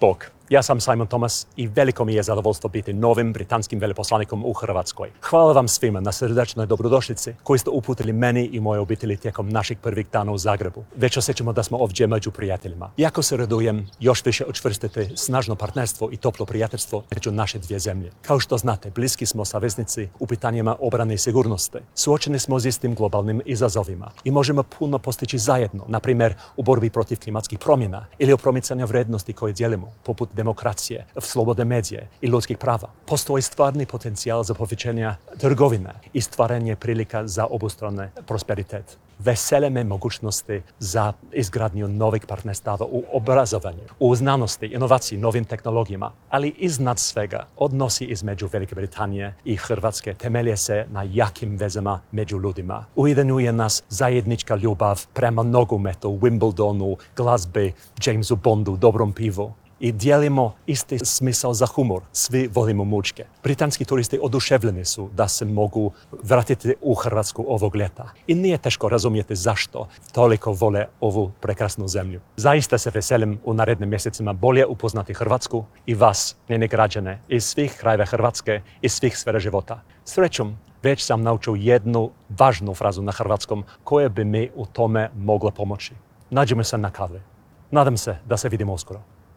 Bog. Ja sam Simon Thomas i veliko mi je zadovoljstvo biti novim britanskim veleposlanikom u Hrvatskoj. Hvala vam svima na srdečnoj dobrodošlici koju ste uputili meni i moje obitelji tijekom naših prvih dana u Zagrebu. Već osjećamo da smo ovdje među prijateljima. Jako se radujem još više učvrstiti snažno partnerstvo i toplo prijateljstvo među naše dvije zemlje. Kao što znate, bliski smo saveznici u pitanjima obrane i sigurnosti. Suočeni smo s istim globalnim izazovima i možemo puno postići zajedno, na primjer u borbi protiv klimatskih promjena ili u promicanju vrijednosti koje dijelimo, poput demokracije, slobode medije i ljudskih prava. Postoji stvarni potencijal za povećanje trgovine i stvaranje prilika za obostrani prosperitet. Vesele me mogućnosti za izgradnju novih partnerstava u obrazovanju, u znanosti, inovaciji, novim tehnologijama, ali iznad svega odnosi između Velike Britanije i Hrvatske temelje se na jakim vezama među ljudima. Ujedinjuje nas zajednička ljubav prema nogometu, Wimbledonu, glazbi, Jamesu Bondu, dobrom pivu. I dijelimo isti smisao za humor. Svi volimo mučke. Britanski turisti oduševljeni su da se mogu vratiti u Hrvatsku ovog ljeta. I nije teško razumjeti zašto toliko vole ovu prekrasnu zemlju. Zaista se veselim u narednim mjesecima bolje upoznati Hrvatsku i vas, njene građane, iz svih krajeva Hrvatske i svih sfera života. Srećom, već sam naučio jednu važnu frazu na hrvatskom koja bi mi u tome mogla pomoći. Nađemo se na kavi. Nadam se da se vidimo uskoro.